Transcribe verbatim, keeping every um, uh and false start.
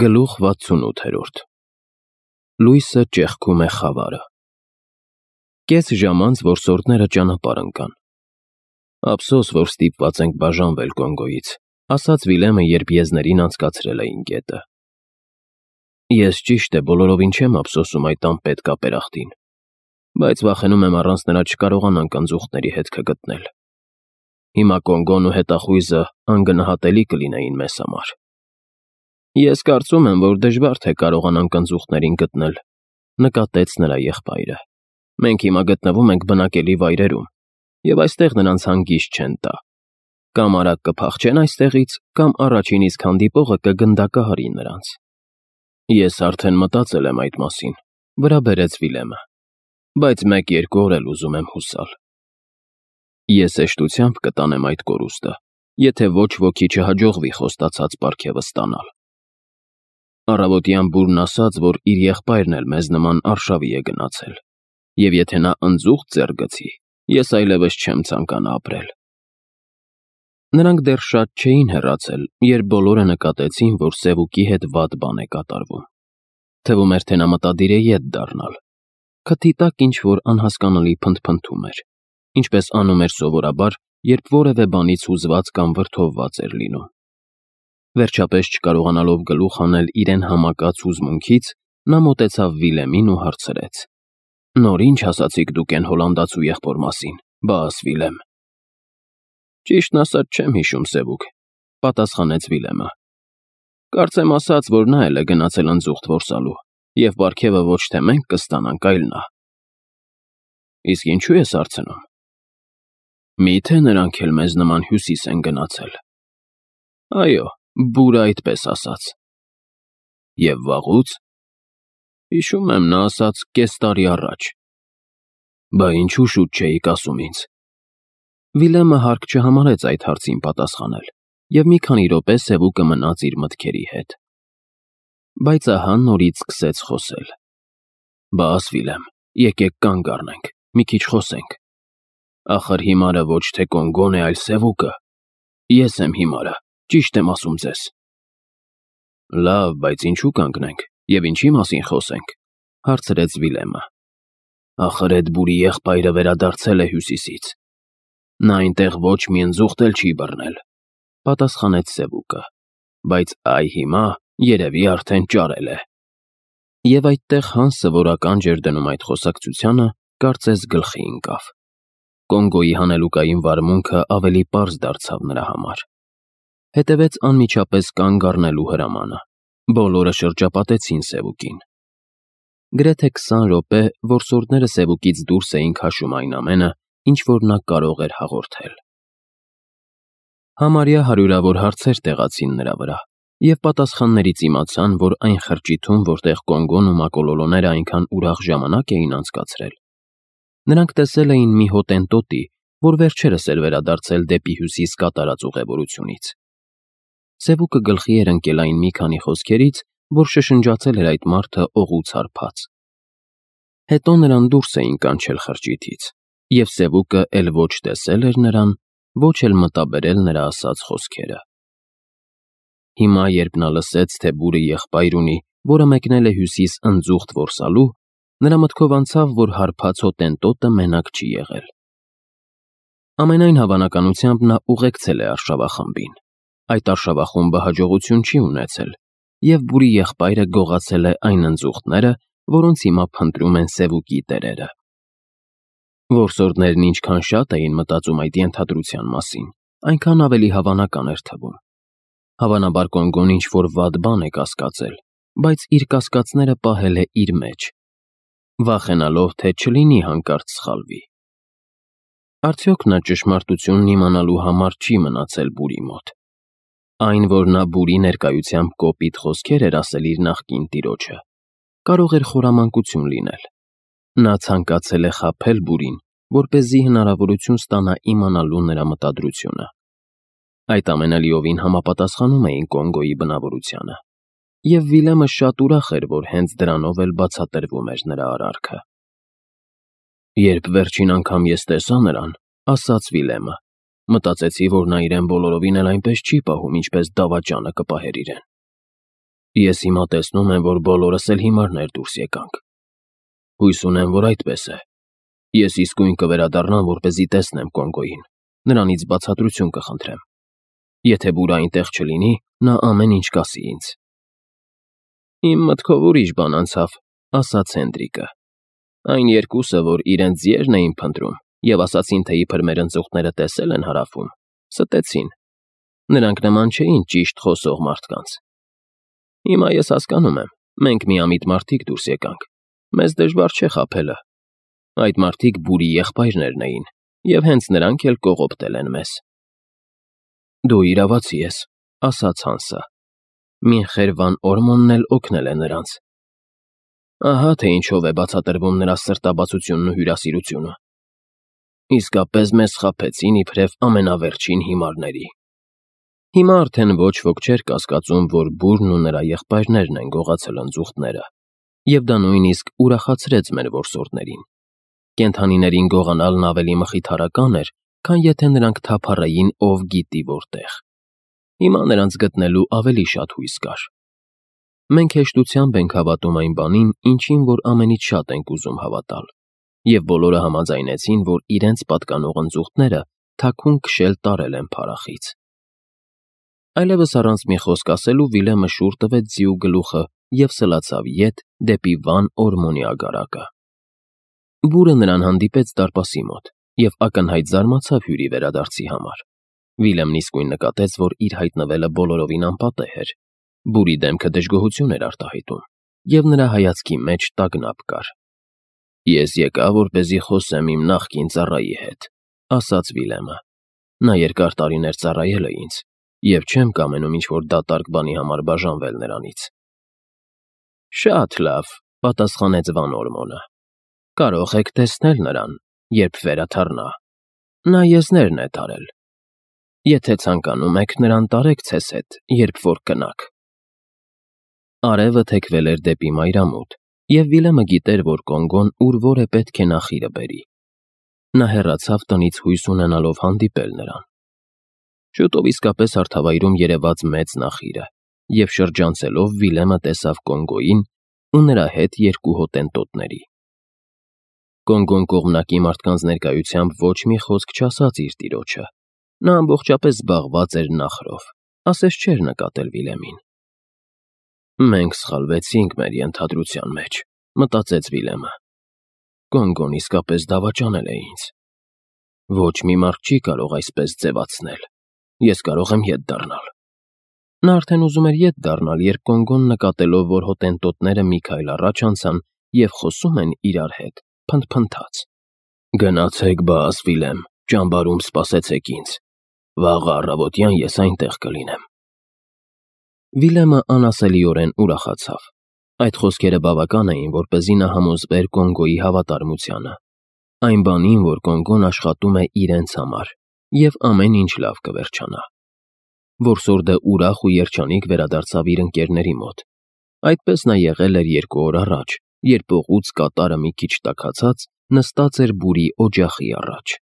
Գլուխ վաթսունութերորդ Լույսը ճեղքում է խավարը։ Կես ժամ անց որսորդները ճանապարհ ընկան։ Ափսոս, որ ստիպված ենք բաժանվել Կոնգոյից, ասաց Վիլեմը, երբ եզներին անցկացրել էին գետը։ Ես ճիշտ է բոլորովին չեմ ափսոսում այդ անպետք ապերախտին, բայց վախենում եմ առանց նրա չկարողանանք ընձուղտների հետքը գտնել։ Հիմա Կոնգոն ու հետախույզը անգնահատելի կլինեին մեզ համար։ Ես կարծում եմ, որ դժվար թե կարողանանք ընձուղտներին գտնել, նկատեց նրա եղբայրը։ Մենք հիմա գտնվում ենք բնակելի վայրերում, և այստեղ նրանց հանգիստ չեն տա։ Կամ արագ կփախչեն այստեղից, կամ առաջին իսկ հանդիպողը կգնդակահարի նրանց։ Ես արդեն մտածել եմ այդ մասին, վրա բերեց Վիլեմը, բայց մեկ-երկու օր էլ ուզում եմ հուսալ։ Ես հեշտությամբ կտանեմ այդ կորուստը, եթե ոչ ոքի չհաջողվի խոստացած պարգևը ստանալ։ Առավոտյան բուրն ասաց, որ իր եղբայրն էլ մեզ նման արշավի է գնացել, և եթե նա ընձուղտ ձեռք գցի, ես այլևս չեմ ցանկանա ապրել։ Նրանք դեռ շատ չէին հեռացել, երբ բոլորը նկատեցին, որ Սևուկի հետ վատ բան է կատարվում։ Թվում էր, թե նա մտադիր է ետ դառնալ։ Քթի տակ ինչ-որ անհասկանալի փնթփնթում էր, ինչպես անում էր սովորաբար, երբ որևէ բանից հուզված կամ վրդովված էր լինում։ Վերջապես չկարողանալով գլուխ հանել իրեն համակած հուզմունքից, նա մոտեցավ Վիլեմին ու հարցրեց. «Նոր ինչ ասացիք դուք էն հոլանդացու եղբոր մասին, բաս Վիլեմ»։ «Ճիշտն ասած չեմ հիշում, Սևուկ», պատասխանեց Վիլեմը։ «Կարծեմ ասաց, որ նա էլ է գնացել ընձուղտ որսալու, և պարգևը ոչ թե մենք կստանանք, այլ նա»։ «Իսկ ինչու ես հարցնում»։ «Մի՞թե նրանք էլ մեզ նման հյուսիս են գնացել»։ «Այո, բուրը այդպես ասաց»։ «Եվ վաղուց»։ «Հիշում եմ, նա ասաց կես տարի առաջ»։ «Բա ինչու շուտ չէիք ասում ինձ»։ Վիլեմը հարկ չհամարեց այդ հարցին պատասխանել, և մի քանի րոպե Սևուկը մնաց իր մտքերի հետ։ Բայց ահա նորից սկսեց խոսել. «Բաս, Վիլեմ, եկեք կանգ առնենք, մի քիչ խոսենք։ Ախր հիմարը ոչ թե Կոնգոն է, այլ Սևուկը։ Ես եմ հիմարը, ճիշտ եմ ասում ձեզ»։ «Լավ, բայց ինչու կանգնենք, և ինչի մասին խոսենք», հարցրեց Վիլեմը։ «Ախր էդ բուրի եղբայրը վերադարձել է Հյուսիսից։ Նա այնտեղ ոչ մի ընձուղտ էլ չի բռնել», պատասխանեց Սևուկը, «բայց այ հիմա երևի արդեն ճարել է»։ Եվ այդտեղ Հանսը, որ ականջ էր դնում այդ խոսակցությանը, կարծես գլխի ընկավ։ Կոնգոյի հանելուկային վարմունքը ավելի պարզ դարձավ նրա համար։ Հետևեց անմիջապես կանգ առնելու հրամանը։ Բոլորը շրջապատեցին Սևուկին։ Գրեթե քսան րոպե որսորդները Սևուկից դուրս էին քաշում այն ամենը, ինչ որ նա կարող էր հաղորդել։ Համարյա հարյուրավոր հարցեր տեղացին նրա վրա, և պատասխաններից իմացան, որ այն խրճիթում, որտեղ Կոնգոն ու մակոլոլոները այնքան ուրախ ժամանակ էին անցկացրել, նրանք տեսել էին մի հոտենտոտի, որ վերջերս էր վերադարձել դեպի հյուսիս կատարած ուղևորությունից։ Սևուկը գլխի էր ընկել այն մի քանի խոսքերից, որ շշնջացել էր այդ մարդը օղուց հարբած։ Հետո նրան դուրս էին կանչել խրճիթից, և Սևուկը էլ ոչ տեսել էր նրան, ոչ էլ մտաբերել նրա ասած խոսքերը։ Հիմա, երբ նա լսեց, թե բուրը եղբայր ունի, որը մեկնել է հյուսիս ընձուղտ որսալու, նրա մտքով անցավ, որ հարբած հոտենտոտը մենակ չի եղել։ Ամենայն հավանականությամբ նա ուղեկցել է արշավախմբին։ Այդ արշավախումբը հաջողություն չի ունեցել, և բուրի եղբայրը գողացել է այն ընձուղտները, որոնց հիմա փնտրում են Սևուկի տերերը։ Որսորդներն ինչքան շատ էին մտածում այդ ենթադրության մասին, այնքան ավելի հավանական էր թվում։ Հավանաբար Կոնգոն ինչ-որ վատ բան է կասկածել, բայց իր կասկածները պահել է իր մեջ, վախենալով, թե չլինի հանկարծ սխալվի։ Արդյոք նա ճշմարտությունն իմանալու համար չի մնացել բուրի մոտ։ Այն, որ նա բուրի ներկայությամբ կոպիտ խոսքեր էր ասել իր նախկին տիրոջը, կարող էր խորամանկություն լինել։ Նա ցանկացել է խաբել բուրին, որպեսզի հնարավորություն ստանա իմանալու նրա մտադրությունը։ Այդ ամենը լիովին համապատասխանում էին Կոնգոյի բնավորությանը, և Վիլեմը շատ ուրախ էր, որ հենց դրանով էլ բացատրվում էր նրա արարքը։ «Երբ վերջին անգամ ես տեսա նրան, — ասաց Վիլեմը, — մտածեցի, որ նա իրեն բոլորովին էլ այնպես չի պահում, ինչպես դավաճանը կպահեր իրեն։ Ես հիմա տեսնում եմ, որ բոլորս էլ հիմարներ դուրս եկանք։ Հույս ունեմ, որ այդպես է։ Ես իսկույն կվերադառնամ, որպեսզի տեսնեմ Կոնգոյին, նրանից բացատրություն կխնդրեմ։ Եթե Բուրային տեղ չլինի, նա ամեն ինչ կասի ինձ։ Իմ մտքով ուրիշ բան անցավ, ասաց Հենդրիկը։ Այն երկուսը, որ իրենց ձիերն էին փնտրում և ասացին, թե իբր մեր ընծուղտները տեսել են հարավում, ստեցին։ Նրանք նման չէին ճիշտ խոսող մարդկանց։ Հիմա ես հասկանում եմ, մենք միամիտ մարդիկ դուրս եկանք, մեզ դժվար չէ խաբելը։ Այդ մարդիկ Բուրի եղբայրներն էին, և հենց նրանք էլ կողոպտել են մեզ։ Դու իրավացի ես, ասաց Հանսը։ Մինխեր վան Օրմոնն էլ օգնել է նրանց։ Ահա թե ինչով է բացատրվում նրա սրտաբացությունն ու հյուրասիրությունը։ Իսկապես մեզ խաբեցին իբրև ամենավերջին հիմարների։ Հիմա արդեն ոչ ոք չէր կասկածում, որ Բուրն ու նրա եղբայրներն են գողացել ընձուղտները, և դա նույնիսկ ուրախացրեց մեր որսորդներին։ Կենդանիներին գողանալն ավելի մխիթարական էր, քան եթե նրանք թափառեին ով գիտի որտեղ։ Հիմա նրանց գտնելու ավելի շատ հույս կար։ Մենք հեշտությամբ ենք հավատում այն բանին, ինչին որ ամենից շատ ենք ուզում հավատալ, և բոլորը համաձայնեցին, որ իրենց պատկանող ընձուղտները թաքուն քշել տարել են փարախից։ Այլևս առանց մի խոսք ասելու Վիլեմը շուռ տվեց ձիու գլուխը և սլացավ ետ դեպի Վան Օրմոնի ագարակը։ Բուրը նրան հանդիպեց դարպասի մոտ և ակնհայտ զարմացավ հյուրի վերադարձի համար։ Վիլեմն իսկույն նկատեց, որ իր հայտնվելը բոլորովին անպատեհ էր։ Բուրի դեմքը դժգոհություն էր արտահայտում, և նրա հայացքի մեջ տագնապ կար։ Ես եկա, որպեսզի խոսեմ իմ նախկին ծառայի հետ, ասաց Վիլեմը։ Նա երկար տարիներ ծառայել է ինձ, և չեմ կամենում ինչ-որ դատարկ բանի համար բաժանվել նրանից։ Շատ լավ, պատասխանեց Վան Օրմոնը։ Կարող եք տեսնել նրան, երբ վերադառնա։ Նա եզներն է տարել։ Եթե ցանկանում եք, նրան տարեք ձեզ հետ, երբ որ կնաք։ Արևը թեքվել էր դեպի մայրամուտ, և Վիլեմը գիտեր, որ Կոնգոն ուր որ է պետք է նախիրը բերի։ Նա հեռացավ տնից հույս ունենալով հանդիպել նրան։ Շուտով իսկապես հարթավայրում երևաց մեծ նախիրը, և շրջանցելով Վիլեմը տեսավ Կոնգոյին ու նրա հետ երկու հոտենտոտների։ Կոնգոն կողմնակի մարդկանց ներկայությամբ ոչ մի խոսք չասաց իր տիրոջը։ Նա ամբողջապես զբաղված էր նախրով, ասես չէր նկատել Վիլեմին։ Մենք սխալվեցինք մեր ենթադրության մեջ, մտածեց Վիլեմը։ Կոնգոն իսկապես դավաճանել է ինձ։ Ոչ մի մարդ չի կարող այսպես ձևացնել։ Ես կարող եմ ետ դառնալ։ Նա արդեն ուզում էր ետ դառնալ, երբ Կոնգոն նկատելով, որ հոտենտոտները մի քայլ առաջ անցան և խոսում են իրար հետ, փնթփնթաց. Գնացեք բաս, Վիլեմ, ճամբարում սպասեցեք ինձ։ Վաղը առավոտյան ես այնտեղ կլինեմ։ Վիլեմը անասելիորեն ուրախացավ։ Այդ խոսքերը բավական էին, որպեսզի նա համոզվեր Կոնգոյի հավատարմությանը, այն բանին, որ Կոնգոն աշխատում է իրենց համար, և ամեն ինչ լավ կվերջանա։ Որսորդը ուրախ ու երջանիկ վերադարձավ իր ընկերների մոտ։ Այդպես նա եղել էր երկու օր առաջ, երբ օղուց կատարը մի քիչ տաքացած նստած էր Բուրի օջախի առաջ։